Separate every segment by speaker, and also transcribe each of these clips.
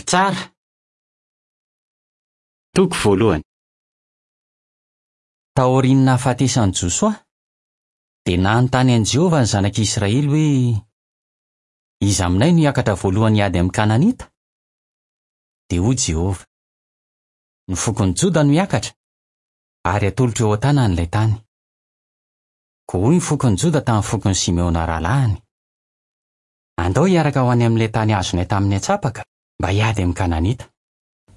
Speaker 1: Mpitsara. Toko voalohany. Taorian'ny nahafatesan'i Josoa, dia nanontany an'i Jehovah ny zanak'Israely hoe, Iza aminay no hiakatra voalohany hiady amin'ny Kananita? Dia hoy Jehovah, Ny fokon'i Joda no hiakatra, ary hatolotro eo an-tanany ilay tany. Koa hoy ny fokon'i Joda tamin'ny fokon'i Simeona rahalahiny, Andao hiaraka ho any amin'ilay tany azonay tamin'ny antsapaka mba hiady amin'ny Kananita.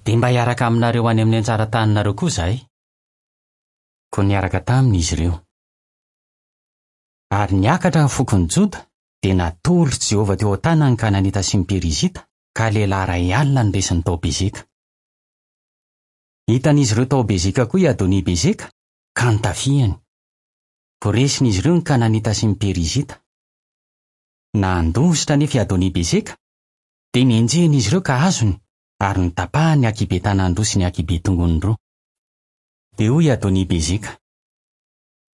Speaker 1: Dia mba hiaraka aminareo any amin'ny anjara taninareo koa izahay. Koa niaraka taminy izy ireo. Ary niakatra ny fokon'i Joda, dia natolotr'i Jehovah teo an-tanany ny Kananita sy ny Perizita, ka lehilahy 10,000 no resiny tao Bezeka. Hitan'izy ireo tao Bezeka koa i Adoni-bezeka, ka notafihany. Voaresin'izy ireo ny Kananita sy ny Perizita. Nandositra anefa i Adoni-bezeka, dia nenjehin'izy ireo ka azony, ary notapahany ny ankihibe-tanany roa sy ny ankihibe-tongony roa. Dia hoy i Adoni-bezeka,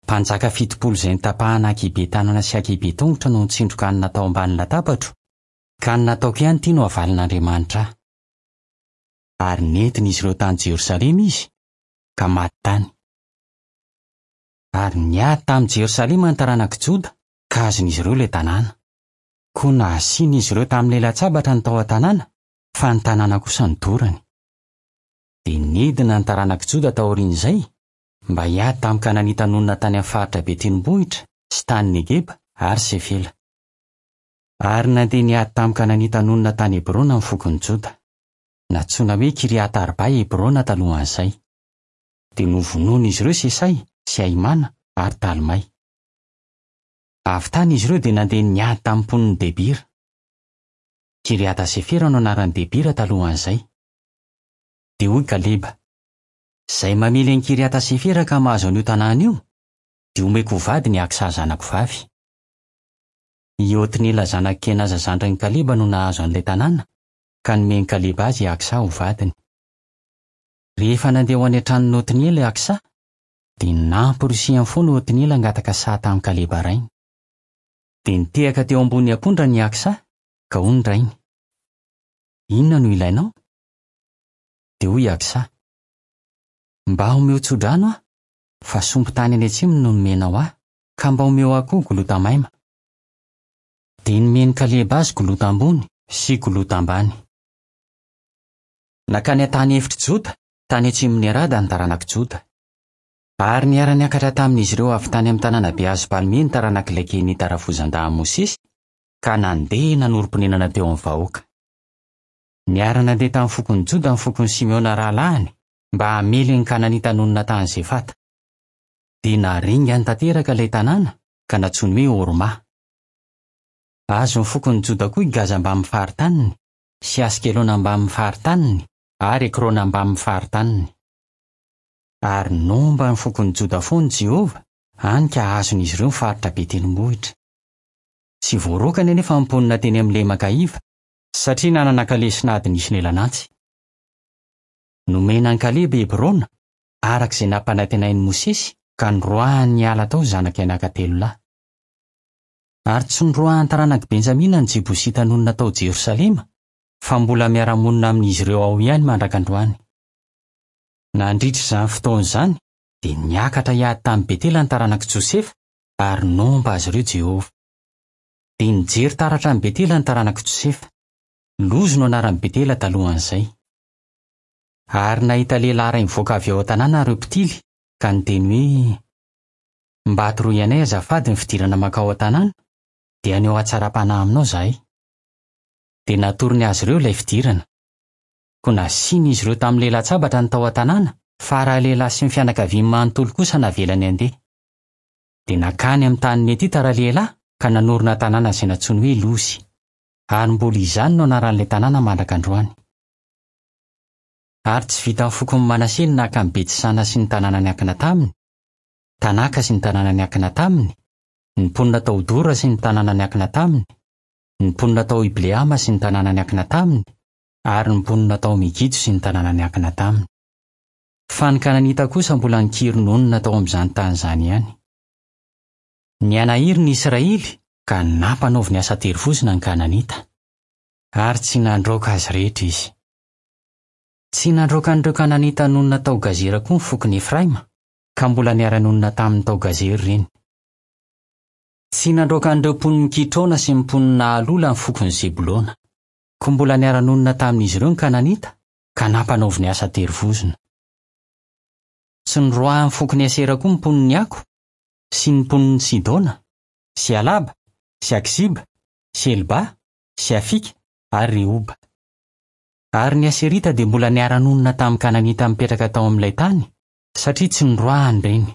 Speaker 1: Mpanjaka 70 izay notapahana ankihibe-tanana sy ankihibe-tongotra no nitsindroka hanina tao ambany latabatro, ka ny nataoko ihany ity no havalin'Andriamanitra ahy. Ary nentin'izy ireo tany Jerosalema izy, ka maty tany. Ary niady tamin'i Jerosalema ny taranak'i Joda, ka azon'izy ireo ilay tanàna. Koa nasian'izy ireo tamin'ny lelan-tsabatra ny tao an-tanàna, fa ny tanàna kosa nodorany. Dia nidina ny taranak'i Joda taorian'izay, mba hiady tamin'ny Kananita nonina tany amin'ny faritra be tendrombohitra sy tany Negeba ary Sefela. Ary nandeha niady tamin'ny Kananita nonina tany Hebrona ny fokon'i Joda. Nantsoina hoe Kiriata-arba i Hebrona talohan'izay. Dia novonoin'izy ireo Sesay sy Ahimana ary Talmay. Avy tany izy ireo dia nandeha niady tamin'ny mponin'i Debira. Kiriata-sefera no anaran'i Debira talohan'izay. Dia hoy Kaleba, Izay mamely an'i Kiriata-sefera ka mahazo an'io tanàna io, dia homeko ho vadiny i Aksa zanako vavy. I Otniela zanak'i Kenaza zandrin'i Kaleba no nahazo an'ilay tanàna, ka nomen'i Kaleba azy i Aksa ho vadiny. Rehefa nandeha ho any an-tranon'i Otniela i Aksa, dia namporisihany foana Otniela hangataka saha tamin'i Kaleba rainy. Dia nitehaka teo ambony ampondrany i Aksa, ka hoy ny rainy, Inona no ilainao? Dia hoy i Aksa, Mba omeo tsodrano aho, fa sompin-tany any atsimo no nomenao ahy, ka mba omeo ahy koa golota maima. Dia nomen'i Kaleba azy golota ambony sy golota ambany. Nankany an-tany efitr'i Joda, tany atsimon'i Arada ny taranak'i Joda. Ary niara-niakatra tamin'izy ireo avy tany amin'ny tanàna be hazo palmie ny taranak'ilay Kenita rafozan-dahin'i Mosesy, ka nandeha nanorim-ponenana teo amin'ny vahoaka. Niara-nandeha tamin'ny fokon'i Joda ny fokon'i Simeona rahalahiny, mba hamely ny Kananita nonina tany Zefata. Dia naringany tanteraka ilay tanàna, ka nantsoiny hoe Horma. Azon'ny fokon'i Joda koa i Gaza mbamin'ny faritaniny, sy Askelona mbamin'ny faritaniny, ary Ekrona mbamin'ny faritaniny. Ary nomba ny fokon'i Joda foana i Jehovah, hany ka azon'izy ireo ny faritra be tendrombohitra. Tsy voaroakany anefa ny mponina teny amin'ny lemaka iva, satria nanana kalesin'ady nisy lelan'antsy. Nomena an'i Kaleba i Hebrona, araka izay nampanantenain'i Mosesy, ka noroahany niala tao ny zanak'i Anaka telo lahy. Ary tsy noroahan'ny taranak'i Benjamina ny Jebosita nonina tao Jerosalema, fa mbola miara-monina amin'izy ireo ao ihany mandraka androany. Nandritra izany fotoana izany, dia niakatra hiady tamin'i Betela ny taranak'i Josefa, ary nomba azy ireo Jehovah. Dia nijery taratra an'i Betela ny taranak'i Josefa. Lozy no anaran'i Betela talohan'izay. Ary nahita lehilahy iray nivoaka avy ao an-tanàna ireo mpitily, ka niteny hoe, Mba atoroy anay azafady ny fidirana mankao an-tanàna, dia haneho hatsaram-panahy aminao izahay. Dia natorony azy ireo ilay fidirana. Koa nasian'izy ireo tamin'ny lelan-tsabatra ny tao an-tanàna, fa ralehilahy sy ny fianakaviany manontolo kosa navelany handeha. Dia nankany amin'ny tanin'i Hetita ralehilahy ka nanorina tanàna izay nantsoiny hoe Losy. Ary mbola izany no anaran'ilay tanàna mandraka androany. Ary tsy vitan'ny fokon'i Manase ny naka an'i Beti-sana sy ny tanàna niankina taminy, Tanaka sy ny tanàna niankina taminy, ny mponina tao Dora sy ny tanàna niankina taminy, ny mponina tao Ibleama sy ny tanàna niankina taminy, ary ny mponina tao Megido sy ny tanàna niankina taminy. Fa ny Kananita kosa mbola nikiry nonina tao amin'izany tany izany ihany. Nihanahiry ny Israely ka nampanaoviny asa terivozona ny Kananita. Ary tsy nandroaka azy rehetra izy. Tsy nandroaka an'ireo Kananita nonina tao Gazera koa ny fokon'i Efraima, ka mbola niara-nonina taminy tao Gazera ireny. Tsy nandroaka an'ireo mponin'i Kitrona sy ny mponin'i Nahalola ny fokon'i Zebolona. Koa mbola niara-nonina tamin'izy ireo ny Kananita, ka nampanaoviny asa an-terivozona. Tsy noroahin'ny fokon'i Asera koa ny mponin'i Ako, sy ny mponin'i Sidona, sy Alaba, sy Akziba, sy Helba, sy Afika ary Rehoba. Ary ny Aserita dia mbola niara-nonina tamin'ny Kananita mipetraka tao amin'ilay tany, satria tsy noroahany ireny.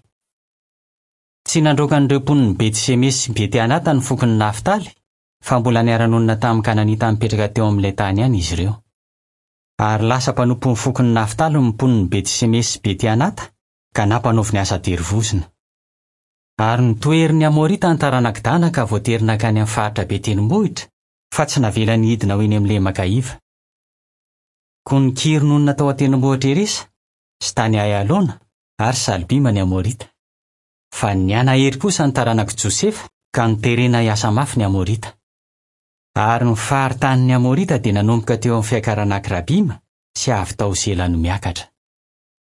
Speaker 1: Tsy nandroaka an'ireo mponin'i Beti-semesy sy Beti-anata ny fokon'i Naftaly, fa mbola niara-nonina tamin'ny Kananita nipetraka teo amin'ilay tany ihany izy ireo. Ary lasa mpanompon'ny fokon'i Naftaly ny mponin'i Beti-semesy sy Beti-anata, ka nampanaoviny asa terivozona. Ary notoherin'ny Amorita ny taranak'i Dana ka voatery nankany amin'ny faritra be tendrombohitra, fa tsy navelany hidina ho eny amin'ny lemaka iva. Koa nikiry nonina tao an-tendrombohitra Heresa, sy tany Aialona, ary Salbima ny Amorita. Fa nihanahery kosa ny taranak'i Josefa, ka noterena hiasa mafy ny Amorita. Ary ny faritanin'ny Amorita dia nanomboka teo amin'ny fiakaran'Akrabima sy avy tao Sela no miakatra.